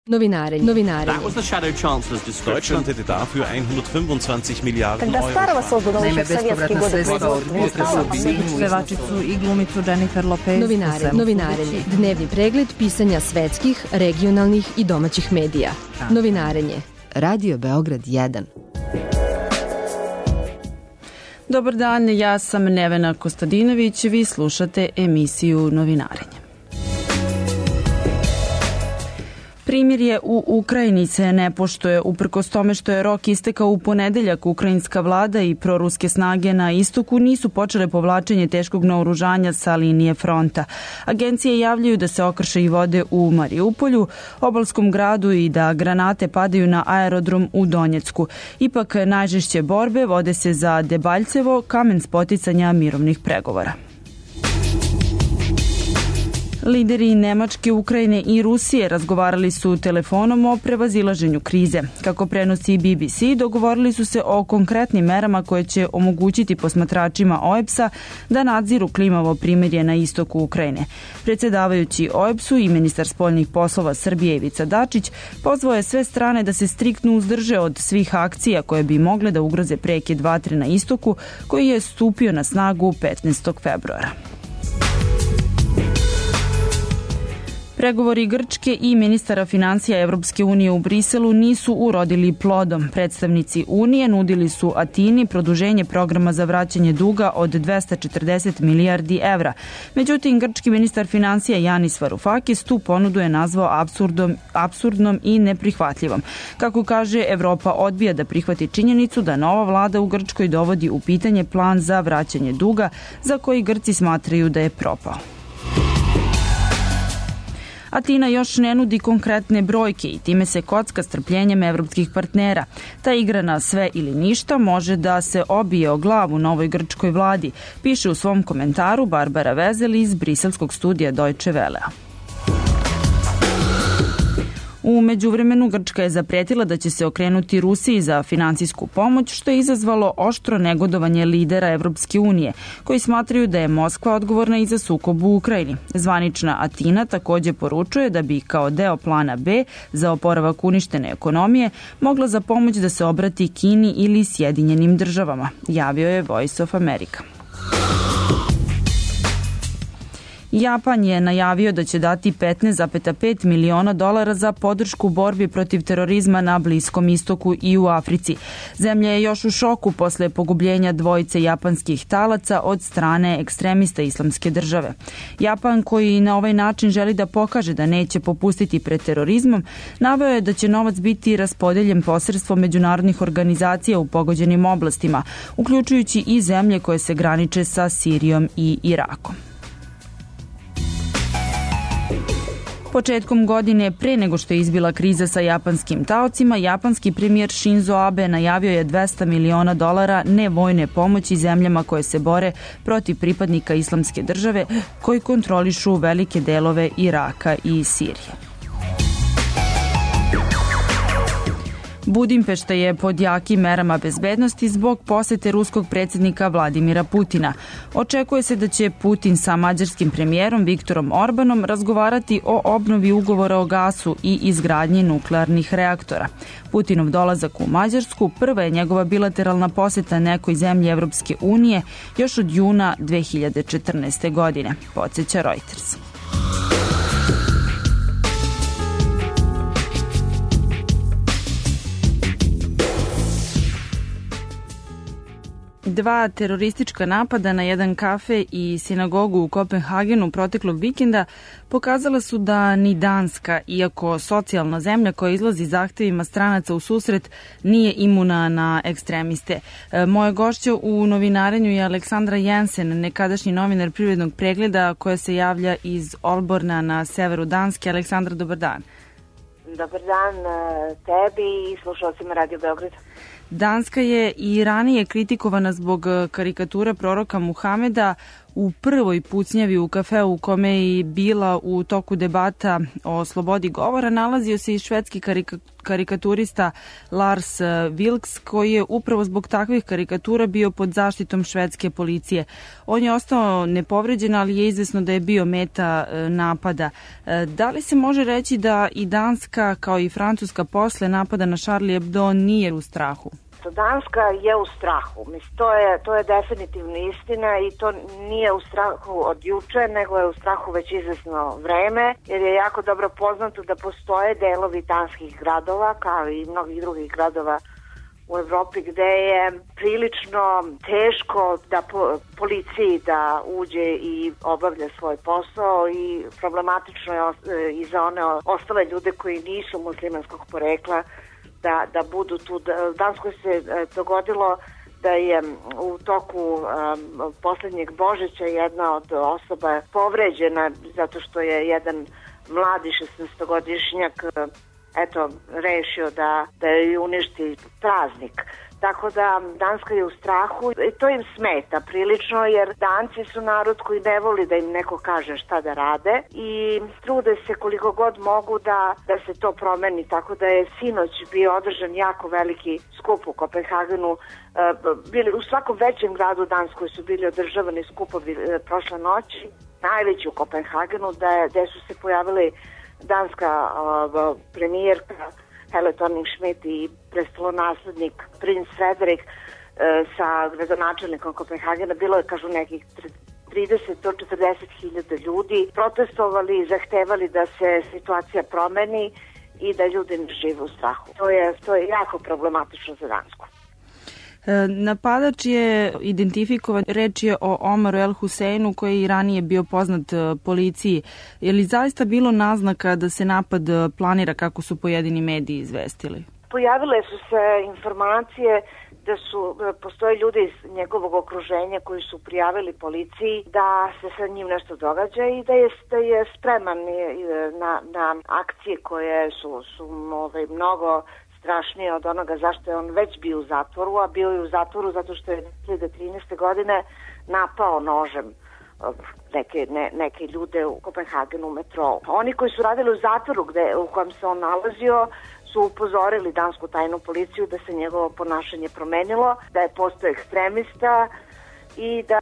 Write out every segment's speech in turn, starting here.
Novinarenje. That was the Shadow Chancellor's description. Deutschland hätte dafür 125 Milijarden Когда старого создано еще в советские годы pevačicu i glumicu Jennifer Lopez. Novinarenje. Dnevni pregled pisanja svetskih, regionalnih i domaćih medija. Novinarenje. Radio Beograd 1. Dobar dan, ja sam Nevena Kostadinović, vi slušate emisiju Novinarenje. Primirje u Ukrajini se ne poštuje, uprkos tome što je rok istekao u ponedeljak. Ukrajinska vlada i proruske snage na istoku nisu počele povlačenje teškog naoružanja sa linije fronta. Agencije javljaju da se okršaji vode u Mariupolju, obalskom gradu i da granate padaju na aerodrom u Donjecku. Ipak najžešće borbe vode se za Debaljcevo, kamen spoticanja mirovnih pregovora. Lideri Nemačke, Ukrajine i Rusije razgovarali su telefonom o prevazilaženju krize. Kako prenosi BBC, dogovorili su se o konkretnim merama koje će omogućiti posmatračima OEBS-a da nadziru klimavo primirje na istoku Ukrajine. Predsjedavajući OEBS-u i ministar spoljnih poslova Srbije Ivica Dačić pozvao je sve strane da se striktno uzdrže od svih akcija koje bi mogle da ugroze prekid vatre na istoku, koji je stupio na snagu 15. februara. Pregovori Grčke i ministara financija Evropske unije u Briselu nisu urodili plodom. Predstavnici Unije nudili su Atini produženje programa za vraćanje duga od 240 milijardi evra. Međutim, grčki ministar financija Yanis Varoufakis tu ponudu je nazvao apsurdnom i neprihvatljivom. Kako kaže, Evropa odbija da prihvati činjenicu da nova vlada u Grčkoj dovodi u pitanje plan za vraćanje duga za koji Grci smatraju da je propao. Atina još ne nudi konkretne brojke i time se kocka strpljenjem evropskih partnera. Ta igra na sve ili ništa može da se obije o glavu novoj grčkoj vladi, piše u svom komentaru Barbara Vezel iz briselskog studija Deutsche Wellea. U međuvremenu Grčka je zapretila da će se okrenuti Rusiji za finansijsku pomoć, što je izazvalo oštro negodovanje lidera Evropske unije, koji smatraju da je Moskva odgovorna i za sukob u Ukrajini. Zvanična Atina također poručuje da bi kao deo plana B za oporavak uništene ekonomije mogla za pomoć da se obrati Kini ili Sjedinjenim državama, javio je Voice of America. Japan je najavio da će dati $15,5 miliona za podršku borbi protiv terorizma na Bliskom istoku i u Africi. Zemlja je još u šoku posle pogubljenja dvojice japanskih talaca od strane ekstremista Islamske države. Japan, koji na ovaj način želi da pokaže da neće popustiti pred terorizmom, naveo je da će novac biti raspodeljen posredstvom međunarodnih organizacija u pogođenim oblastima, uključujući i zemlje koje se graniče sa Sirijom i Irakom. Početkom godine, pre nego što je izbila kriza sa japanskim taocima, japanski premijer Shinzo Abe najavio je $200 miliona nevojne pomoći zemljama koje se bore protiv pripadnika Islamske države koji kontrolišu velike delove Iraka i Sirije. Budimpešta je pod jakim merama bezbednosti zbog posete ruskog predsjednika Vladimira Putina. Očekuje se da će Putin sa mađarskim premijerom Viktorom Orbanom razgovarati o obnovi ugovora o gasu i izgradnji nuklearnih reaktora. Putinov dolazak u Mađarsku prva je njegova bilateralna poseta nekoj zemlji Evropske unije još od juna 2014. godine, podsjeća Reuters. Dva teroristička napada na jedan kafe i sinagogu u Kopenhagenu proteklog vikenda pokazala su da ni Danska, iako socijalna zemlja koja izlazi zahtevima stranaca u susret, nije imuna na ekstremiste. Moja gošća u novinarenju je Aleksandra Jensen, nekadašnji novinar Privrednog pregleda, koja se javlja iz Olborna na severu Danske. Aleksandra, dobar dan. Dobar dan tebi i slušalcima Radio Beograd. Danska je i ranije kritikovana zbog karikatura proroka Muhameda u prvoj pucnjavi u kafeu u kome je bila u toku debata o slobodi govora nalazio se i švedski karikaturista Lars Vilks, koji je upravo zbog takvih karikatura bio pod zaštitom švedske policije. On je ostao nepovređen, ali je izvesno da je bio meta napada. Da li se može reći da i Danska, kao i Francuska, posle napada na Charlie Hebdo nije u strahu? Danska je u strahu. Mislim, to je definitivno istina i to nije u strahu od juče, nego je u strahu već izvesno vreme, jer je jako dobro poznato da postoje delovi danskih gradova, kao i mnogih drugih gradova u Evropi, gde je prilično teško da policiji da uđe i obavlja svoj posao i problematično je i za one ostale ljude koji nisu muslimanskog porekla da budu tu. U Danskoj se dogodilo da je u toku poslednjeg Božića jedna od osoba povređena zato što je jedan mladi 16-godišnjak rešio da je uništi praznik. Tako da Danska je u strahu i to im smeta prilično, jer Danci su narod koji ne voli da im neko kaže šta da rade i trude se koliko god mogu da se to promeni. Tako da je sinoć bio održan jako veliki skup u Kopenhagenu. U svakom većem gradu u Danskoj su bili održavani skupovi prošle noći. Najveći u Kopenhagenu gde su se pojavili danska premijerka Helle Thorning-Schmidt i prestolonaslednik princ Frederik sa gradonačelnikom Kopenhagena. Bilo je, kažu, nekih 30 do 40 hiljada ljudi protestovali i zahtevali da se situacija promeni i da ljudi ne žive u strahu. To je jako problematično za Dansku. Napadač je identifikovan, reč je o Omaru El Huseinu, koji je i ranije bio poznat policiji. Je li zaista bilo naznaka da se napad planira, kako su pojedini mediji izvestili? Pojavile su se informacije da postoje ljudi iz njegovog okruženja koji su prijavili policiji da se sa njim nešto događa i da je spreman na akcije koje su mnogo strašnije od onoga zašto je on već bio u zatvoru, a bio je u zatvoru zato što je 2013. godine napao nožem neke ljude u Kopenhagenu u metrou. Oni koji su radili u zatvoru u kojem se on nalazio su upozorili dansku tajnu policiju da se njegovo ponašanje promenilo, da je postao ekstremista i da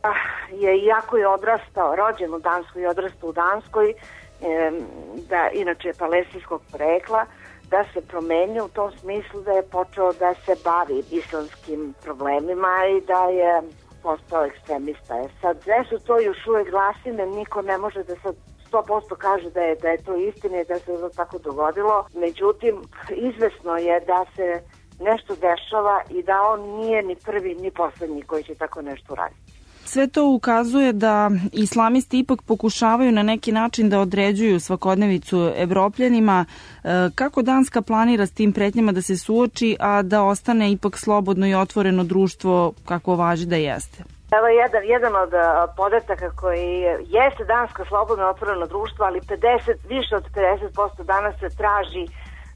je, iako je odrastao, rođen u Danskoj i odrastao u Danskoj, da inače je palestinskog porekla, da se promenio u tom smislu da je počeo da se bavi islamskim problemima i da je postao ekstremista. Sad, sve su to još uvek glasine, niko ne može da sad 100% kaže da je to istina i da se to tako dogodilo. Međutim, izvesno je da se nešto dešava i da on nije ni prvi ni poslednji koji će tako nešto uraditi. Sve to ukazuje da islamisti ipak pokušavaju na neki način da određuju svakodnevicu Evropljanima. Kako Danska planira s tim pretnjama da se suoči, a da ostane ipak slobodno i otvoreno društvo kako važi da jeste? Evo jedan od podataka koji jeste Danska slobodno i otvoreno društvo, ali više od 50% danas se traži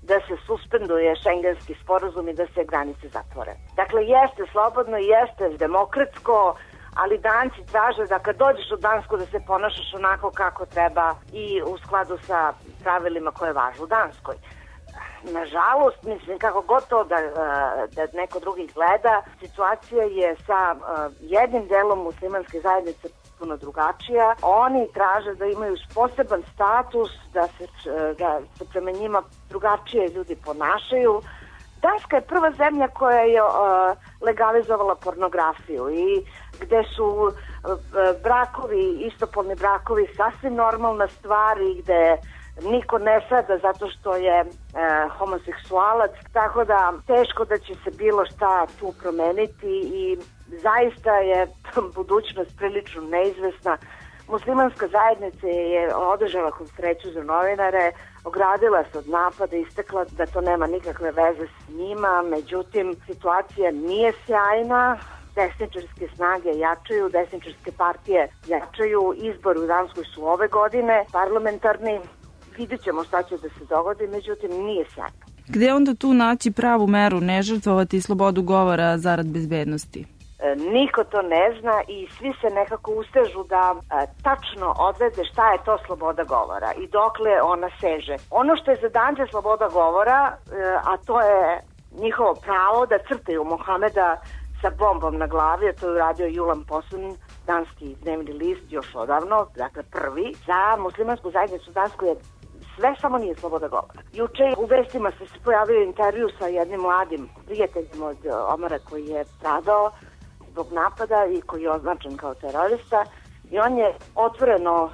da se suspenduje šengenski sporazum i da se granice zatvore. Dakle, jeste slobodno, jeste demokratsko, ali Danci traže da kad dođeš u Dansku da se ponašaš onako kako treba i u skladu sa pravilima koje važe u Danskoj. Nažalost, mislim, kako god to da neko drugi gleda, situacija je sa jednim delom muslimanske zajednice puno drugačija. Oni traže da imaju poseban status, da se prema njima drugačije ljudi ponašaju. Danska je prva zemlja koja je legalizovala pornografiju i gde su istopolni brakovi sasvim normalna stvar i gde niko ne sada zato što je homoseksualac, tako da teško da će se bilo šta tu promeniti i zaista je budućnost prilično neizvesna. Muslimanska zajednica je održala konferenciju za novinare, ogradila se od napada, istakla da to nema nikakve veze s njima, međutim situacija nije sjajna, desničarske snage jačaju, desničarske partije jačaju, izbori u Danskoj su ove godine, parlamentarni, vidjet ćemo šta će da se dogodi, međutim nije sjajno. Gde onda tu naći pravu meru, ne žrtvovati slobodu govora zarad bezbednosti? Niko to ne zna i svi se nekako ustežu da tačno odvede šta je to sloboda govora i dokle ona seže. Ono što je za Dance sloboda govora, a to je njihovo pravo da crtaju Mohameda sa bombom na glavi, a to je uradio Julan Posun, danski dnevni list još odavno, dakle prvi, za muslimansku zajednicu dansku je sve samo nije sloboda govora. Juče u vestima se pojavio intervju sa jednim mladim prijateljem od Omara koji je stradao zbog napada i koji je označen kao terorista i on je otvoreno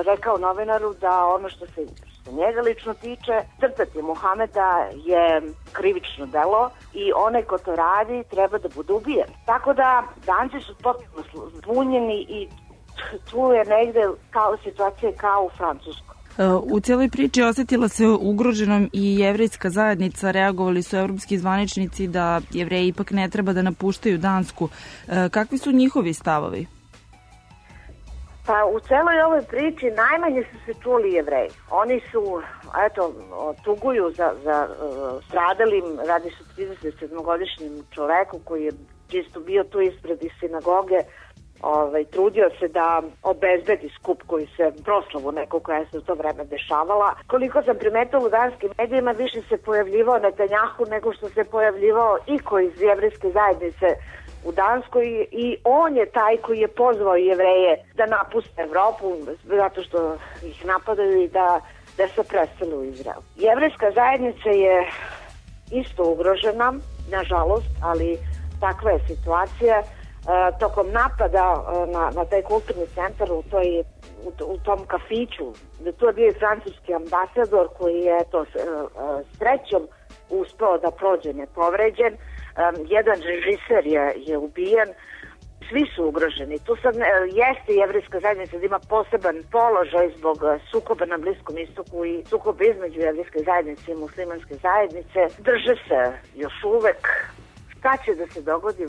rekao novinaru da ono što se njega lično tiče, crtati Mohameda je krivično delo i onaj ko to radi treba da bude ubijen. Tako da Danci su potpuno zbunjeni i tu je negde situacija kao u Francuskoj. U cijeloj priči osetila se ugroženom i jevrejska zajednica. Reagovali su evropski zvaničnici da Jevreji ipak ne treba da napuštaju Dansku. Kakvi su njihovi stavovi? Pa u celoj ovoj priči najmanje su se čuli Jevreji. Oni su, tuguju za stradalim, radi se 37-godišnjim čoveku koji je čisto bio tu ispred iz sinagoge, trudio se da obezbedi skup koji se proslavu neku koja se u to vreme dešavala. Koliko sam primetila u danskim medijima, više se pojavljivao Netanjahu nego što se pojavljivao iko iz jevrejske zajednice u Danskoj i on je taj koji je pozvao Jevreje da napuste Evropu zato što ih napadaju i da se presele u Izrael. Jevrejska zajednica je isto ugrožena, nažalost, ali takva je situacija. Tokom napada na taj kulturni centar u tom kafiću, tu je bio i francuski ambasador koji je srećom uspeo da prođe nepovređen. Jedan režiser je ubijen, svi su ugroženi. Tu sad jeste jevrejska zajednica da ima poseban položaj zbog sukoba na Bliskom istoku i sukoba između jevrejske zajednice i muslimanske zajednice. Drže se još uvek. Šta će da se dogodi,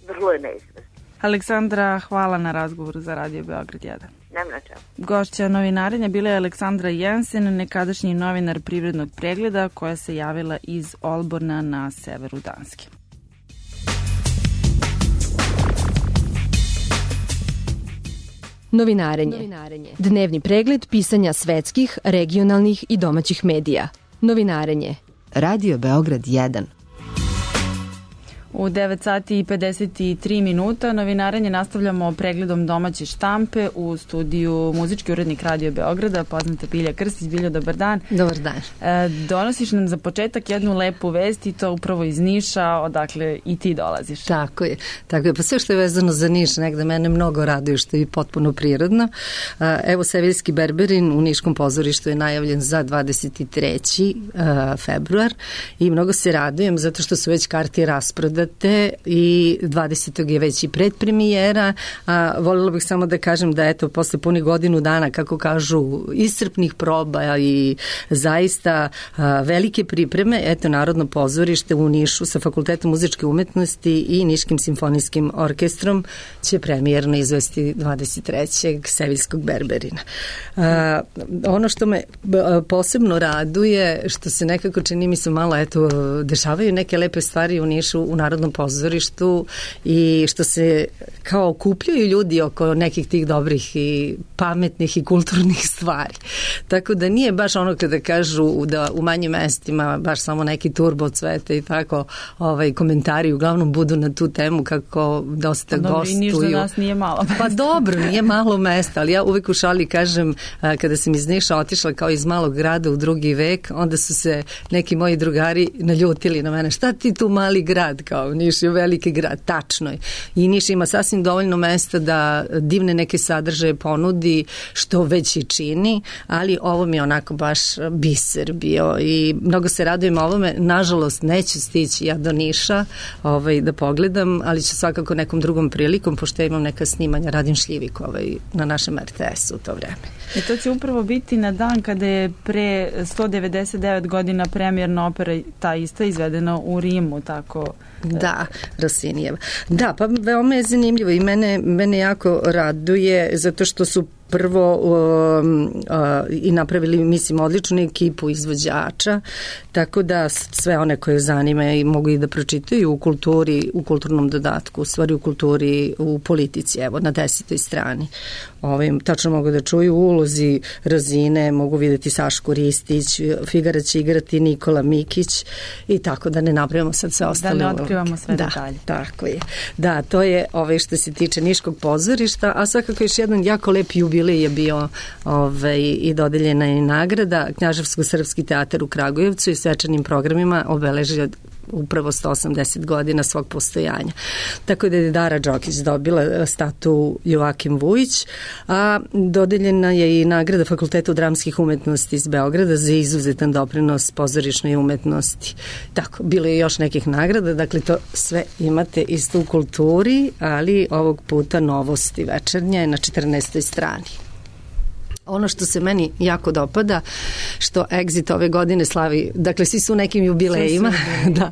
vrlo je neizvesno. Aleksandra, hvala na razgovoru za Radio Beograd 1. Nem na čemu. Gošća novinarenja bila je Aleksandra Jensen, nekadašnji novinar Privrednog pregleda, koja se javila iz Olborna na severu Danske. Novinarenje. Dnevni pregled pisanja svetskih, regionalnih i domaćih medija. Novinarenje. Radio Beograd 1. U 9 sati i 53 minuta novinarenje nastavljamo pregledom domaće štampe u studiju muzički urednik Radio Beograda, poznata Bilja Krstić. Biljo, dobar dan. Dobar dan. Donosiš nam za početak jednu lepu vest i to upravo iz Niša, odakle i ti dolaziš. Tako je. Pa sve što je vezano za Niš negde mene mnogo raduje, što je potpuno prirodno. Evo, Seviljski Berberin u Niškom pozorištu je najavljen za 23. februar i mnogo se radujem zato što su već karte rasprodate i 20. je već i predpremijera. Voljela bih samo da kažem da posle punih godinu dana, kako kažu, iscrpnih proba i zaista velike pripreme, Narodno pozorište u Nišu sa Fakultetom muzičke umetnosti i Niškim simfonijskim orkestrom će premijerno izvesti 23. Seviljskog Berberina. Ono što me posebno raduje, što se nekako čini mi se malo, dešavaju neke lepe stvari u Nišu, u Narodnom pozorištu i što se kao okupljaju ljudi oko nekih tih dobrih i pametnih i kulturnih stvari. Tako da nije baš ono kada kažu da u manjim mestima baš samo neki turbo cvete i tako komentari uglavnom budu na tu temu kako dosta gostuju. Niš za nas nije malo mesta. Pa dobro, nije malo mesta, ali ja uvek u šali kažem, kada sam iz Niša otišla kao iz malog grada u drugi vek, onda su se neki moji drugari naljutili na mene. Šta ti tu mali grad, kao Niš je veliki grad, tačno je. I Niš ima sasvim dovoljno mesta da divne neke sadržaje ponudi, što već i čini, ali ovo mi je onako baš biser bio i mnogo se radujem ovome. Nažalost, neću stići ja do Niša da pogledam, ali ću svakako nekom drugom prilikom, pošto ja imam neka snimanja, radim šljivik na našem RTS-u u to vreme. I to će upravo biti na dan kada je pre 199 godina premijerna opera ta ista izvedena u Rimu, tako... Da, Rossinijeva. Da, pa veoma je zanimljivo i mene jako raduje zato što su prvo i napravili, mislim, odličnu ekipu izvođača, tako da sve one koje zanima i mogu i da pročitaju u kulturi, u kulturnom dodatku, u stvari u kulturi, u politici, evo, na 10. strani. Tačno mogu da čuju u ulozi Rozine, mogu videti Sašku Ristić, Figara će igrati Nikola Mikić i tako da ne napravimo sad sve ostale. Da ne otkrivamo sve detalje. Tako je. Da, to je što se tiče Niškog pozorišta, a svakako još jedan jako lep jubilej je bio i dodeljena je nagrada. Knjaževsko-srpski teatar u Kragujevcu i svečanim programima obeležio upravo 180 godina svog postojanja. Tako da je Dara Đokić dobila statu Joakim Vujić, a dodeljena je i nagrada Fakultetu dramskih umetnosti iz Beograda za izuzetan doprinos pozorišnoj umetnosti. Tako, bilo je još nekih nagrada, dakle to sve imate isto u kulturi, ali ovog puta novosti večernje na 14. strani. Ono što se meni jako dopada, što Exit ove godine slavi, dakle svi su u nekim jubilejima, da,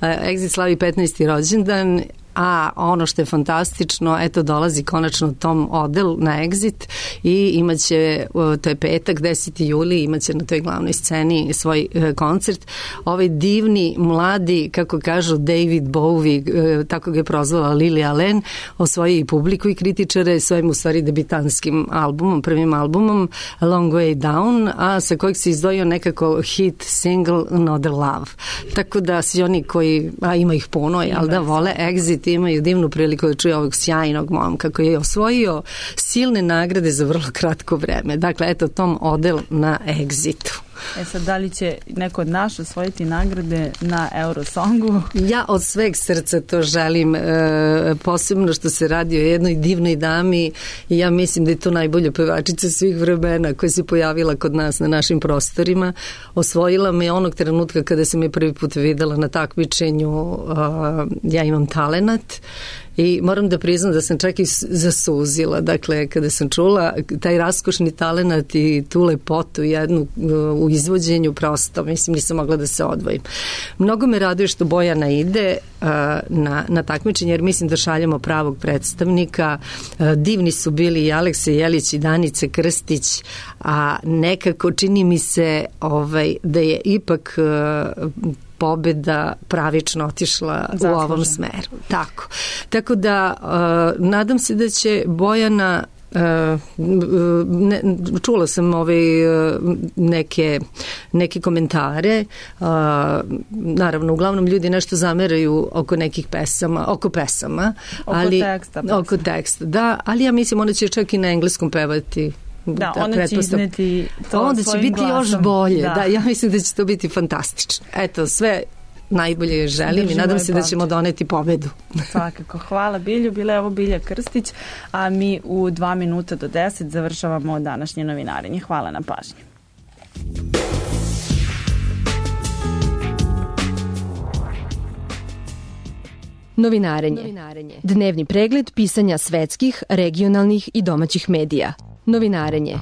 Exit slavi 15. rođendan, a ono što je fantastično, eto dolazi konačno Tom Odell na Exit i imaće, to je petak, 10. juli, imaće na toj glavnoj sceni svoj koncert. Ovaj divni, mladi, kako kažu David Bowie, tako ga je prozvala Lily Allen, osvoji i publiku i kritičare svojim u stvari debitanskim albumom, prvim albumom A Long Way Down, a sa kojeg se izdvojio nekako hit single Another Love. Tako da svi oni koji, a ima ih puno, jel da vole Exit, imaju divnu priliku da čuje ovog sjajnog momka koji je osvojio silne nagrade za vrlo kratko vreme. Dakle, eto Tom Odell na Exitu. Sad, da li će neko od nas osvojiti nagrade na Eurosongu? Ja od sveg srca to želim, posebno što se radi o jednoj divnoj dami i ja mislim da je to najbolja pevačica svih vremena koja se pojavila kod nas na našim prostorima. Osvojila me onog trenutka kada sam je prvi put videla na takmičenju Ja imam talenat. I moram da priznam da sam čak i zasuzila. Dakle, kada sam čula taj raskošni talenat i tu lepotu jednu u izvođenju, prosto, mislim, nisam mogla da se odvojim. Mnogo me raduje što Bojana ide na takmičenje, jer mislim da šaljamo pravog predstavnika. Divni su bili i Aleksa Jelić i Danica Krstić, a nekako čini mi se da je ipak pobeda pravično otišla u ovom smeru. Tako da nadam se da će Bojana čula sam neke komentare, naravno uglavnom ljudi nešto zameraju oko nekih pesama, oko teksta, da, ali ja mislim ona će čak i na engleskom pevati. Da, ona će izneti to onda svojim će biti glasom. Još bolje, da, ja mislim da će to biti fantastično. Eto, sve najbolje želim i nadam se da ćemo doneti pobedu. Svakako, hvala Bilju, bila je ovo Bilja Krstić, a mi u 2 minuta do 10 završavamo današnje novinarenje. Hvala na pažnji. Novinarenje. Dnevni pregled pisanja svetskih, regionalnih i domaćih medija. Novinarenje.